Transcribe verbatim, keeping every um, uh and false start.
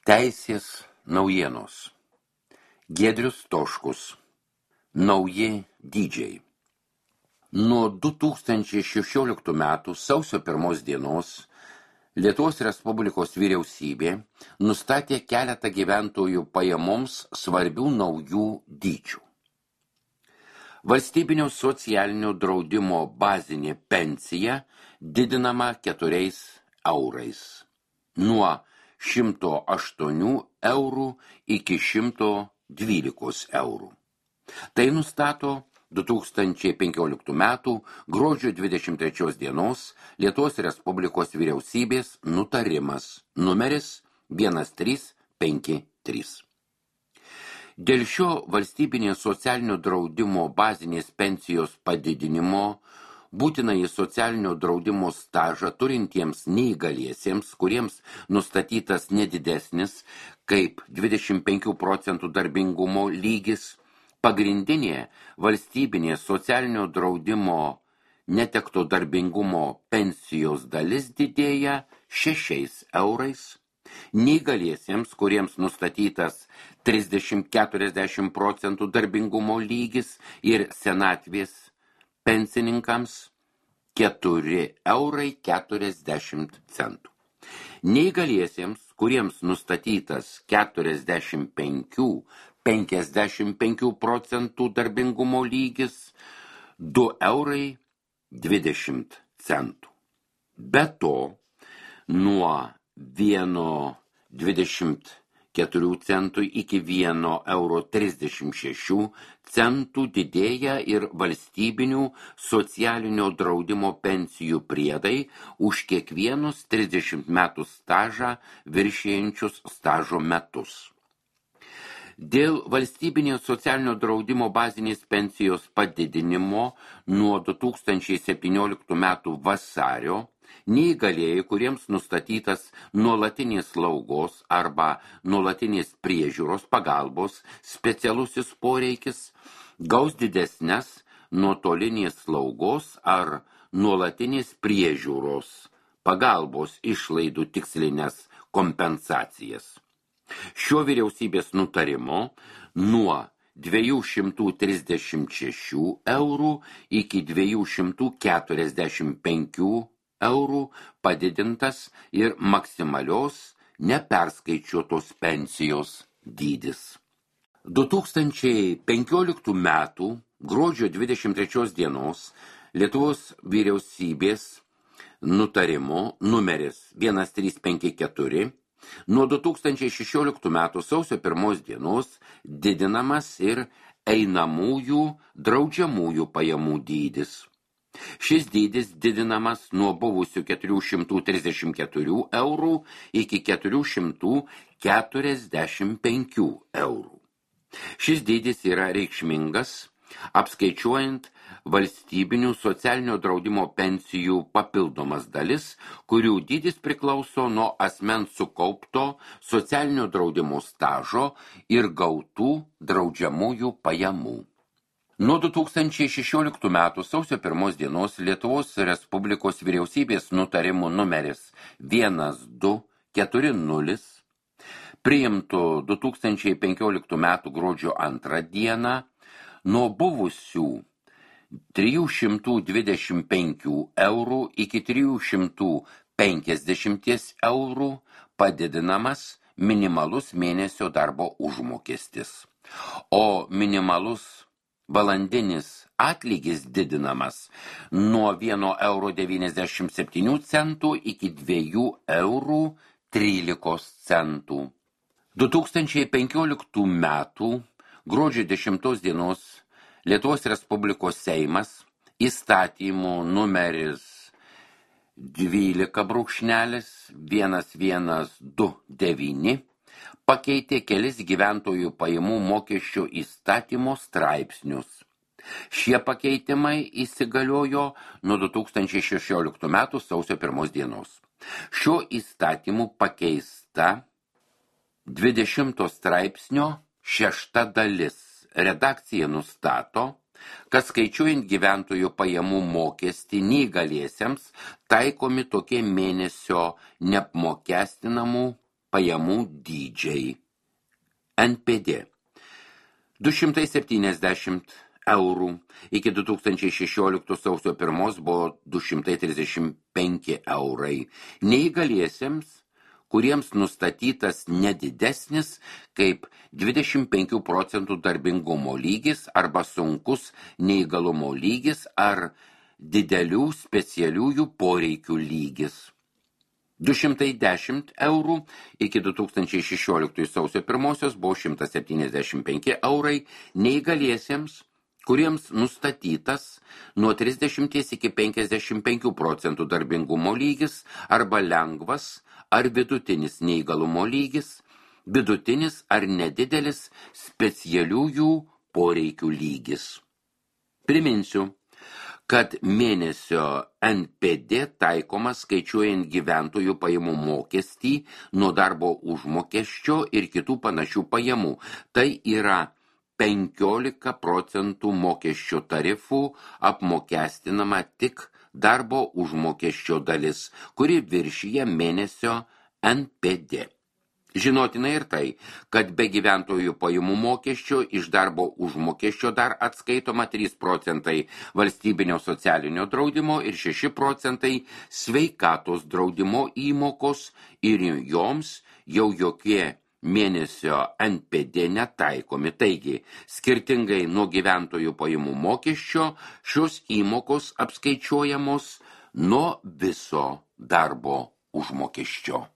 Teisės naujienos. Giedrius Toškus. Nauji dydžiai. Nuo du tūkstančiai šešioliktų metų sausio pirmos dienos Lietuvos Respublikos vyriausybė nustatė keletą gyventojų pajamoms svarbių naujų dydžių. Valstybinio socialinio draudimo bazinė pensija didinama keturiais eurais. Nuo šimto aštuonių eurų iki šimto dvylikos eurų. Tai nustato du tūkstančiai penkioliktų metų gruodžio dvidešimt trečios dienos Lietuvos Respublikos vyriausybės nutarimas numeris vienas trys penki trys. Dėl šio valstybinės socialinio draudimo bazinės pensijos padidinimo būtinąjį socialinio draudimo stažą turintiems neįgaliesiems, kuriems nustatytas nedidesnis kaip dvidešimt penkių procentų darbingumo lygis, pagrindinė valstybinė socialinio draudimo netekto darbingumo pensijos dalis didėja šešiais eurais, neįgaliesiems, kuriems nustatytas trisdešimt iki keturiasdešimt procentų darbingumo lygis ir senatvės pensininkams keturi eurai keturiasdešimt centų. Neįgaliesiems, kuriems nustatytas keturiasdešimt penki iki penkiasdešimt penkių procentų darbingumo lygis, du eurai dvidešimt centų. Be to, nuo vieno dvidešimt keturių centų iki vieno euro trisdešimt šešių centų didėja ir valstybinių socialinio draudimo pensijų priedai už kiekvienus trisdešimt metų stažą viršijančius stažo metus. Dėl valstybinio socialinio draudimo bazinės pensijos padidinimo nuo du tūkstančiai septynioliktų metų vasario neįgalieji, kuriems nustatytas nuolatinės slaugos arba nuolatinės priežiūros pagalbos specialusis poreikis, gaus didesnes nuotolinės slaugos ar nuolatinės priežiūros pagalbos išlaidų tikslinės kompensacijas. Šio vyriausybės nutarimo nuo dviejų šimtų trisdešimt šešių eurų iki dviejų šimtų keturiasdešimt penkių eurų padidintas ir maksimalios neperskaičiuotos pensijos dydis. du tūkstančiai penkioliktų metų gruodžio dvidešimt trečios dienos Lietuvos vyriausybės nutarimo numeris vienas trys penki keturi nuo du tūkstančiai šešioliktų metų sausio pirmos dienos didinamas ir einamųjų draudžiamųjų pajamų dydis. Šis dydis didinamas nuo buvusių keturių šimtų trisdešimt keturių eurų iki keturių šimtų keturiasdešimt penkių eurų. Šis dydis yra reikšmingas, apskaičiuojant valstybinių socialinio draudimo pensijų papildomas dalis, kurių dydis priklauso nuo asmens sukaupto socialinio draudimo stažo ir gautų draudžiamųjų pajamų. Nuo du tūkstančiai šešioliktų metų sausio pirmos dienos Lietuvos Respublikos vyriausybės nutarimų numeris vienas du keturi nulis priimtų du tūkstančiai penkioliktų metų gruodžio antrą dieną nuo buvusių trijų šimtų dvidešimt penkių eurų iki trijų šimtų penkiasdešimt eurų padidinamas minimalus mėnesio darbo užmokestis, o minimalus valandinis atlygis didinamas nuo vieno euro devyniasdešimt septynių centų iki dviejų eurų trylikos centų. du tūkstančiai penkioliktų metų gruodžio dešimtos dienos Lietuvos Respublikos Seimas įstatymų numeris dvylika brūkšnelis vienas vienas du devyni pakeitė kelis gyventojų pajamų mokesčio įstatymo straipsnius. Šie pakeitimai įsigaliojo nuo du tūkstančiai šešioliktų metų sausio pirmos dienos. Šiuo įstatymu pakeista dvidešimto straipsnio šešta dalis. Redakcija nustato, kad skaičiuojant gyventojų pajamų mokestį neįgaliesiems taikomi tokie mėnesio neapmokestinamų pajamų dydžiai. N P D du šimtai septyniasdešimt eurų, iki du tūkstančiai šešioliktų sausio pirmos buvo du šimtai trisdešimt penki eurai. Neįgaliesiems, kuriems nustatytas nedidesnis kaip dvidešimt penkių procentų darbingumo lygis arba sunkus neįgalumo lygis ar didelių specialiųjų poreikių lygis. du šimtai dešimt eurų, iki du tūkstančiai šešioliktųjų sausio pirmosios buvo šimtas septyniasdešimt penki eurai neįgaliesiems, kuriems nustatytas nuo trisdešimt iki penkiasdešimt penkių procentų darbingumo lygis arba lengvas ar vidutinis neįgalumo lygis, vidutinis ar nedidelis specialiųjų poreikių lygis. Priminsiu, kad mėnesio N P D taikomas skaičiuojant gyventojų pajamų mokestį nuo darbo užmokesčio ir kitų panašių pajamų. Tai yra penkiolika procentų mokesčio tarifų apmokestinama tik darbo užmokesčio dalis, kuri viršyja mėnesio N P D. Žinotina ir tai, kad be gyventojų pajamų mokesčio iš darbo užmokesčio dar atskaitoma trys procentai valstybinio socialinio draudimo ir šeši procentai sveikatos draudimo įmokos ir joms jau jokie mėnesio N P D netaikomi. Taigi, skirtingai nuo gyventojų pajamų mokesčio, šios įmokos apskaičiuojamos nuo viso darbo užmokesčio.